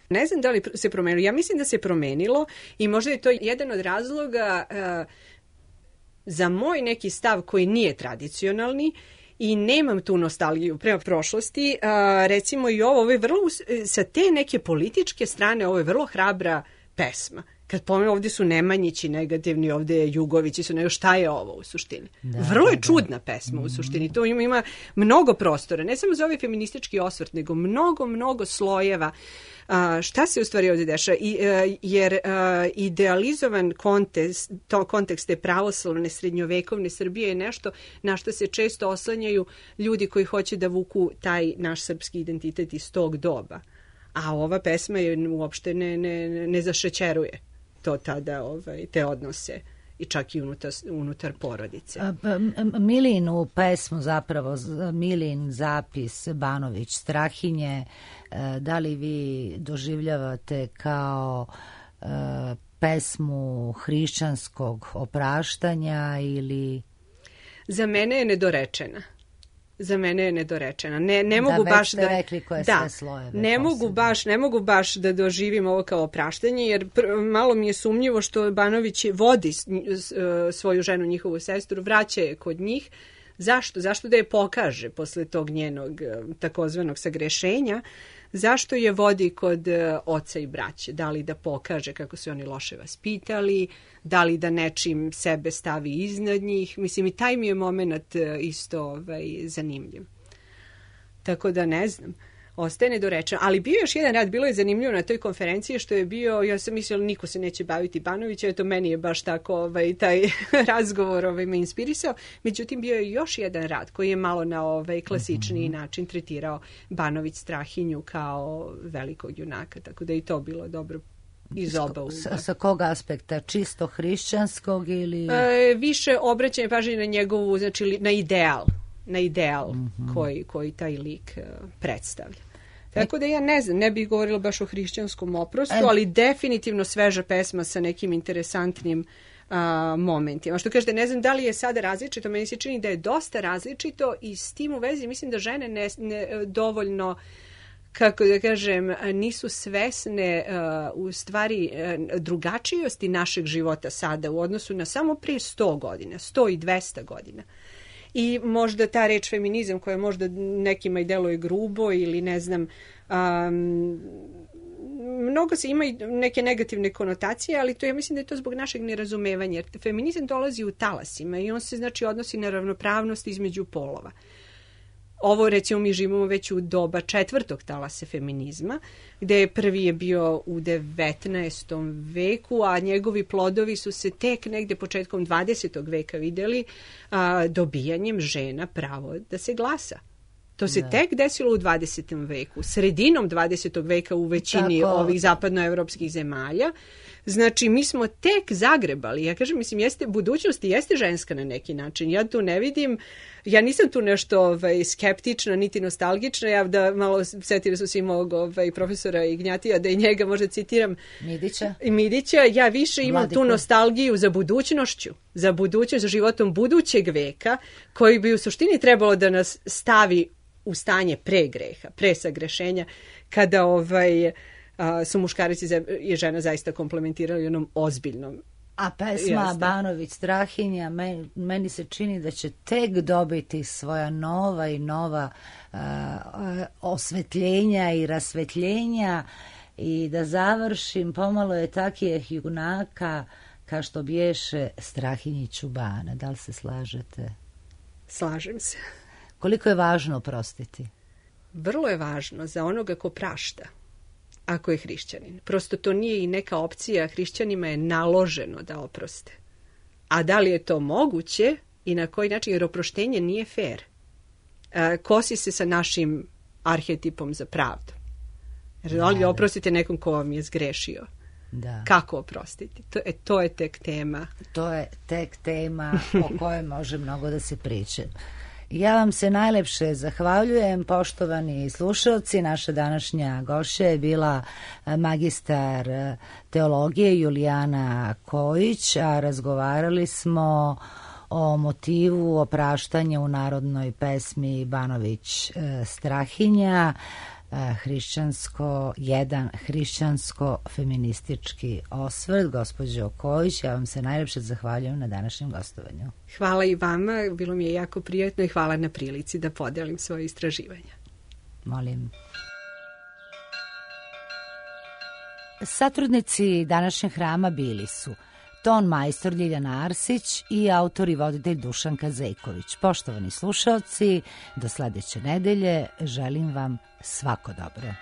Ne znam da li se promenilo. Ja mislim da se promenilo i možda je to jedan od razloga za moj neki stav koji nije tradicionalni i nemam tu nostalgiju prema prošlosti. Recimo i ovo je vrlo, sa te neke političke strane, ovo je vrlo hrabra pesma. Kad pomenu, ovdje su Nemanjići negativni, ovdje je Jugovići su, šta je ovo u suštini? Vrlo je čudna pesma u suštini. To ima mnogo prostora, ne samo za ovaj feministički osvrt, nego mnogo slojeva. Šta se u stvari ovdje dešava? Jer idealizovan kontekst te pravoslavne srednjovekovne Srbije je nešto na što se često oslanjaju ljudi koji hoće da vuku taj naš srpski identitet iz tog doba. A ova pesma je uopšte ne zašećeruje to tada, te odnose i čak i unutar porodice. Milinu pesmu zapravo, Milin zapis Banović Strahinje, da li vi doživljavate kao pesmu hrišćanskog opraštanja ili... Za mene je nedorečena. Ne mogu baš da rekli koje sve slojeve. Ne mogu baš da doživim ovo kao opraštanje, jer malo mi je sumnjivo što Banović vodi svoju ženu, njihovu sestru, vraća je kod njih. Zašto da je pokaže posle tog njenog takozvanog sagrešenja? Zašto je vodi kod oca i braće? Da li da pokaže kako su oni loše vaspitali, da li da nečim sebe stavi iznad njih? Mislim, i taj mi je moment isto zanimljiv. Tako da ne znam. Ostaje nedorečeno. Ali bio još jedan rad, bilo je zanimljivo na toj konferenciji što je bio, ja sam mislila niko se neće baviti Banovića, eto meni je baš tako taj razgovor me inspirisao. Međutim, bio je još jedan rad koji je malo na klasičniji način tretirao Banović Strahinju kao velikog junaka, tako da je i to bilo dobro iz oba ugla. Sa kog aspekta? Čisto hrišćanskog ili... Više obraćanje pažnje na njegovu, znači na ideal koji taj lik predstavlja. Tako da ja ne znam, ne bih govorila baš o hrišćanskom oprostu, ali definitivno sveža pesma sa nekim interesantnim momentima. Što kažete, ne znam da li je sada različito, meni se čini da je dosta različito i s tim u vezi mislim da žene ne dovoljno, kako da kažem, nisu svesne u stvari drugačijosti našeg života sada u odnosu na samo prije 100 godina, 100 i 200 godina. I možda ta reč feminizam koja možda nekima i deluje grubo ili ne znam, mnogo se ima i neke negativne konotacije, ali to ja mislim da je to zbog našeg nerazumevanja. Jer feminizam dolazi u talasima i on se znači odnosi na ravnopravnost između polova. Ovo recimo mi živimo već u doba 4. talasa feminizma, gde prvi je bio u 19. veku, a njegovi plodovi su se tek negde početkom 20. veka videli dobijanjem žena pravo da se glasa. To se tek desilo u 20. veku, sredinom 20. veka u većini ovih zapadnoevropskih zemalja. Znači, mi smo tek zagrebali. Ja kažem, mislim, budućnost jeste ženska na neki način. Ja tu ne vidim, ja nisam tu nešto skeptična, niti nostalgična. Ja da malo setili su svi mog profesora Ignjatija, da i njega možda citiram. Midića. Ja više imam tu nostalgiju za budućnošću, za životom budućeg veka, koji bi u suštini trebalo da nas stavi u stanje pre greha, pre sagrešenja, kada su muškarici i žena zaista komplementirali onom ozbiljnom. A pesma Banović Strahinja meni se čini da će tek dobiti svoja nova osvetljenja i rasvetljenja i da završim, pomalo je takijeh junaka kao što bješe Strahinji Čubana. Da li se slažete? Slažem se. Koliko je važno oprostiti? Vrlo je važno za onoga ko prašta, ako je hrišćanin. Prosto to nije i neka opcija, hrišćanima je naloženo da oproste. A da li je to moguće i na koji način, jer oproštenje nije fair. Kosi se sa našim arhetipom za pravdu. Da li oprostite nekom ko vam je zgrešio? Da. Kako oprostiti? To je tek tema. To je tek tema o kojoj može mnogo da se priča. Ja vam se najlepše zahvaljujem, poštovani slušalci. Naša današnja gošća je bila magistar teologije Julijana Kojić, a razgovarali smo o motivu opraštanja u narodnoj pesmi Banović Strahinja. jedan hrišćansko-feministički osvrt. Gospođo Kojić, ja vam se najlepše zahvaljujem na današnjem gostovanju. Hvala i vama, bilo mi je jako prijatno i hvala na prilici da podelim svoje istraživanja. Molim. Satrudnici današnjeg hrama bili su ton majstor Ljiljana Arsić i autor i voditelj Dušan Kazejković. Poštovani slušaoci, do sledeće nedelje želim vam svako dobro.